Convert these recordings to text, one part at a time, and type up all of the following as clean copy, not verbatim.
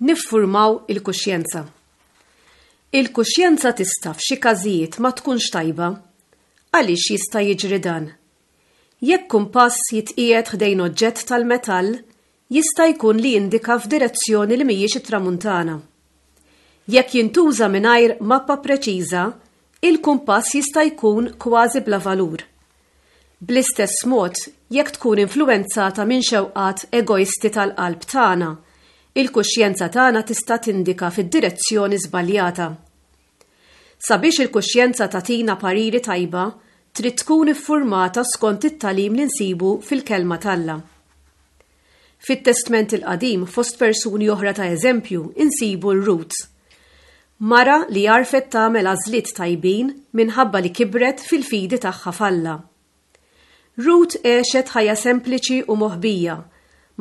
Niffurmaw il-kuxjenza. Il-kuxjenza tista' f'xi każijiet ma tkunx tajba. Għaliex jista' jiġri dan? Jekk kumpass jitqiegħed ħdejn oġġett tal-metall, jista' jkun li jindika f'direzzjoni li mhijiex it-tramuntana. Jekk jintuża mingħajr mappa preċiża, il-kumpass jista' jkun kważi bla valur. Bl-istess mod, jekk tkun influwenzata minn xewqat egoisti tal-qalb tagħna, il-kuxjenza tagħna tista' tindika fid-direzzjoni żbaljata. Sabiex il-kuxjenza tagħtina pariri tajba, trid tkun iffurmata skont it-tagħlim li nsibu fil-Kelma t'Alla. Fit-Testment il-Qadim, fost persuni oħra ta' eżempju, insibu 'l Rut. Mara li għarfet tagħmel għażliet tajbin minħabba li kibret fil-fidi tagħha f'Alla. Rut għexet ħajja sempliċi u moħbija,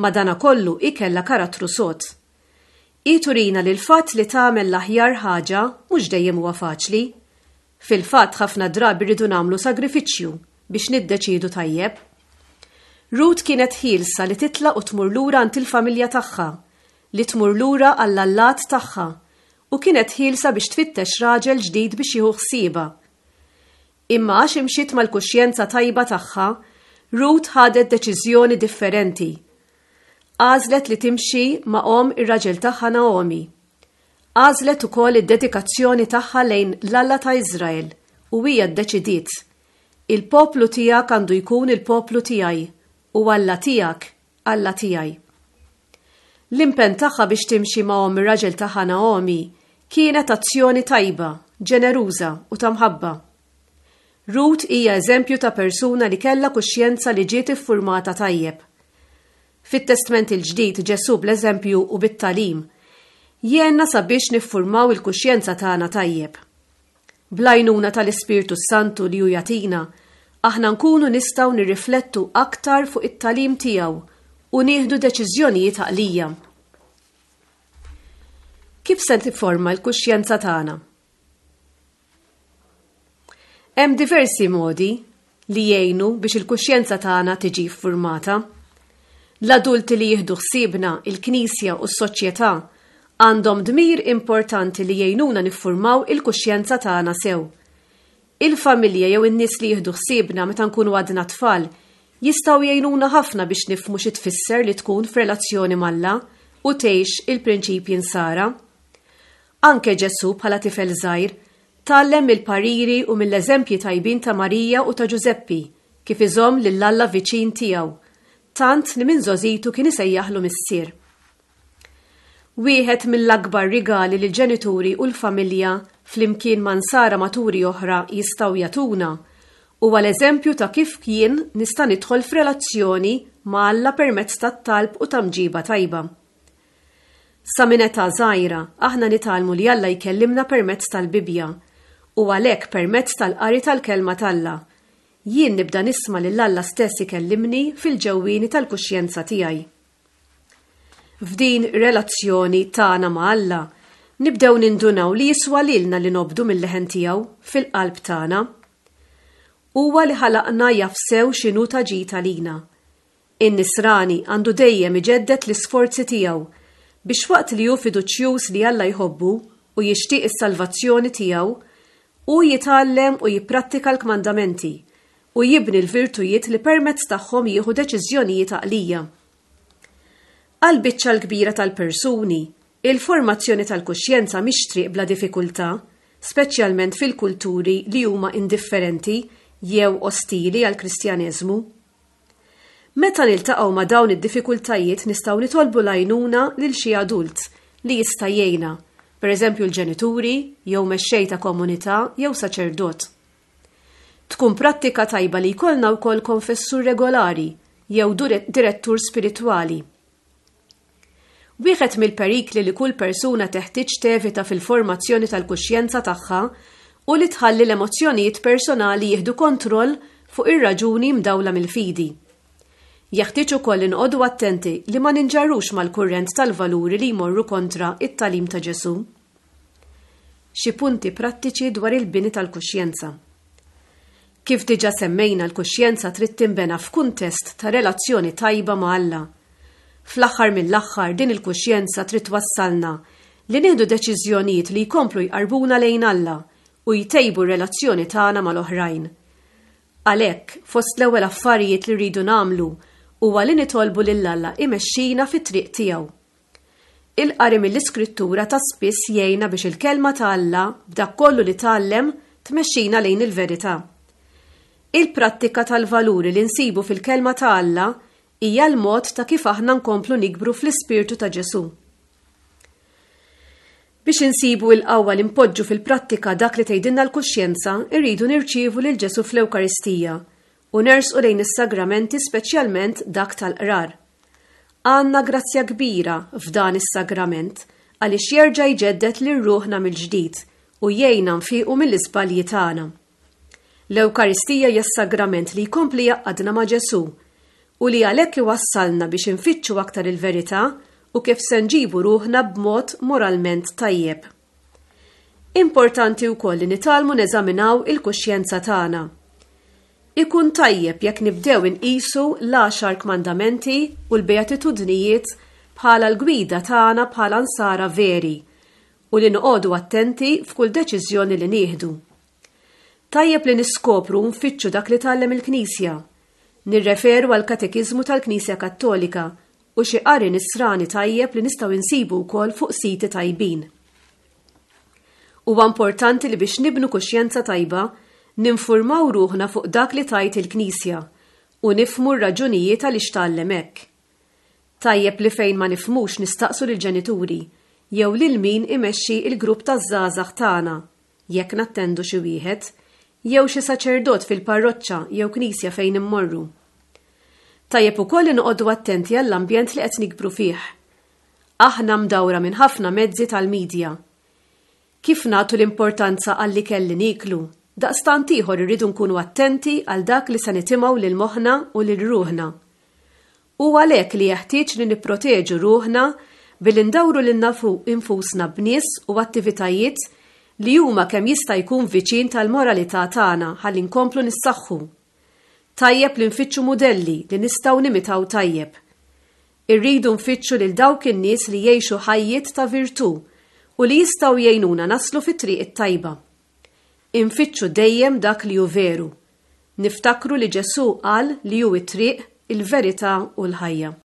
madankollu hi kellha karattru sod. Hi turina li l-fatt li tagħmel l-aħjar ħaġa mhux dejjem huwa faċli. Fil-fatt ħafna drabi rridu nagħmlu sagrifiċċju biex niddeċiedu tajjeb. Rut kienet ħielsa li titlaq u tmur lura għand il-familja tagħha, li tmur lura għall-allat tagħha, u kienet ħielsa biex tfittex raġel ġdid biex jieħu ħsiebha. Imma għax imxiet mal-kuxjenza tajba tagħha, Rut ħadet deċiżjoni differenti. Għażlet li timxi ma' omm ir-raġel tagħha Naomi. Għażlet ukoll id-dedikazzjoni tagħha lejn l-Alla ta' Iżrael u hija ddeċidiet, Il-poplu tiegħek għandu jkun il-poplu tiegħi, u Alla tiegħek, Alla tiegħi. L-impenn tagħha biex timxi ma' omm ir-raġel tagħha Naomi kienet azzjoni tajba, ġeneruża u ta' mħabba. Rut hija eżempju ta' persuna li kellha kuxjenza li ġiet iffurmata tajjeb. Fit-Testment il-Ġdid Ġesù bl-eżempju u bit-tagħlim jgħinna sabiex niffurmaw il-kuxjenza tagħna tajjeb. Bl-għajnuna tal-Ispirtu s-Santu li hu jagħtina, aħna nkunu nistgħu nirriflettu aktar fuq it-tagħlim tiegħu u nieħdu deċiżjonijiet għaqlija. Kif se tifforma l-kuxjenza tagħna? Hemm diversi modi li jgħinu biex il-kuxjenza tagħna tiġi ffurmata. L-adulti li jieħdu ħsiebna, il-Knisja u s-soċjetà għandhom dmir importanti li jgħinuna niffurmaw il-kuxjenza tagħna sew. Il-familja jew in-nies li jieħdu ħsiebna meta nkunu għadna tfal jistgħu jgħinuna ħafna biex nifhmu xi tfisser li tkun f'relazzjoni m'Alla u tgħix il-prinċipji Nsara. Anke Ġesù bħala tifel żgħir tgħallem mill-pariri u mill-eżempji tajbin ta' Marija u ta' Ġużeppi kif iżomm lil Alla viċin tiegħu, tant li minn żgħożitu kien isejjaħlu Missier. Wieħed mill-akbar rigali li l-ġenituri u l-familja flimkien ma' nsara maturi oħra jistgħu jagħtuna huwa l-eżempju ta' kif jien nista' nidħol f'relazzjoni ma' Alla permezz tat-talb u ta' mġiba tajba. Sa minn età żgħira, aħna nitgħallmu li Alla jkellimna permezz tal-Bibbja, u għalhekk permezz tal-qari tal-Kelma t'Alla, jien nibda nisma' lil Alla stess ikellimni fil-ġewwieni tal-kuxjenza tiegħi. F'din ir-relazzjoni tagħna ma' Alla, nibdew nindunaw li jiswa lilna li nobdu mil-leħen tiegħu fil-qalb tagħna. Huwa li ħalaqna jaf sew x'inhu ta' ġid għalina. In-Nisrani għandu dejjem iġedded l-isforzi tiegħu biex waqt li hu fiduċjuż li Alla jħobbu u jixtieq is-salvazzjoni tiegħu, hu jitgħallem u jipprattika l-kmandamenti u jibni l-virtujiet li permezz tagħhom jieħu deċiżjonijiet għaqlija. Għall-biċċa l-kbira tal-persuni, il-formazzjoni tal-kuxjenza mhix triq bla diffikultà, speċjalment fil-kulturi li huma indifferenti jew ostili għall-Kristjaneżmu. Meta niltaqgħu ma' dawn id-diffikultajiet nistgħu nitolbu l-għajnuna lil xi adult li jista' jgħinna, pereżempju l-ġenituri jew mexxej ta' komunità jew saċerdot. Tkun prattika tajba li jkollna wkoll konfessur regolari jew direttur spiritwali. Wieħed mill-perikli li kull persuna teħtieġ tevita fil-formazzjoni tal-kuxjenza tagħha hu li tħalli l-emozzjonijiet personali jieħdu kontroll fuq ir-raġuni mdawla mill-fidi. Jeħtieġ ukoll li noqogħdu attenti li ma ninġarrux mal-kurrent tal-valuri li jmorru kontra t-tagħlim ta' Ġesù. Xi punti prattiċi dwar il-bini tal-kuxjenza. Kif diġà semmejna l-kuxjenza trid tinbena f'kuntest ta' relazzjoni tajba ma' Alla. Fl-aħħar mill-aħħar din il-kuxjenza trid twassalna li nieħdu deċiżjonijiet li jkomplu jqarrbuna lejn Alla u jtejbu r-relazzjoni tagħna mal-oħrajn. Għalhekk, fost l-ewwel affarijiet li rridu nagħmlu huwa li nitolbu lil Alla imexxina fit-triq tiegħu. Il-qari mill-Iskrittura ta' spiss jgħinna biex il-Kelma ta' Alla, b'dak kollu li tgħallem, tmexxina lejn il-verità. Il-prattika tal-valuri li nsibu fil-Kelma ta' Alla hija l-mod ta' kif aħna nkomplu nikbru fl-ispirtu ta' Ġesù. Biex insibu il-qawwa li npoġġu fil-prattika dak li tgħidilna l-kuxjenza, irridu nirċievu lil Ġesù fl-Ewkaristija u nersqu lejn is-sagramenti speċjalment dak tal-qrar. Għandna grazzja kbira f'dan is-sagrament għaliex jerġa' jġedded lil ruħna mill-ġdid u jgħinna nfiqu mill-iżbalji tagħna. L-Ewkaristija hija s-sagrament li jkompli jgħaqqadna ma' Ġesù u li għalhekk iwassalna biex infittxu aktar il-verità u kif se nġibu ruħna b'mod moralment tajjeb. Importanti wkoll li nitgħallmu neżaminaw il-kuxjenza tagħna. Ikun tajjeb jekk nibdew inqisu l-għaxar kmandamenti u l-beatitudnijiet bħala l-gwida tagħna bħala nsara veri u li noqogħdu attenti f'kull deċiżjoni li nieħdu. Tajjeb li niskopru u nfittxu dak li tgħallem il-Knisja. Nirreferu għall-Katekiżmu tal-Knisja Kattolika u xi qari Nisrani tajjeb li nistgħu nsibu wkoll fuq siti tajbin. Huwa importanti li biex nibnu kuxjenza tajba, ninfurmaw ruħna fuq dak li tgħid il-Knisja u nifhmu r-raġunijiet għaliex tgħallem hekk. Tajjeb li fejn ma nifhmux nistaqsu lill-ġenituri jew lil min imexxi l-grupp taż-żgħażagħ tagħna, jekk nattendu xi wieħed, jew xi saċerdot fil-parroċċa jew knisja fejn immorru. Tajjeb ukoll li noqogħdu attenti għall-ambjent li qed nikbru fih. Aħna mdawra minn ħafna mezzi tal-midja. Kif nagħtu l-importanza għall-ikel li nieklu, daqstant ieħor irridu nkunu attenti għal dak li se nitimgħu lil moħħna u lil ruħna. Hu għalhekk li jeħtieġ li nipproteġu ruħna billi ndawru lilna nfusna b'nies u attivitajiet li huma kemm jista' jkun viċin tal-moralità tagħna ħalli nkomplu nissaħħu. Tajjeb li nfittxu mudelli li nistgħu nimitaw tajjeb. Irridu nfittxu lil dawk in-nies li jgħixu ħajjiet ta' virtù u li jistgħu jgħinuna naslu fit-triq it-tajba. Infittxu dejjem dak li hu veru. Niftakru li Ġesù qal li hu t-triq, il-verità u l-ħajja.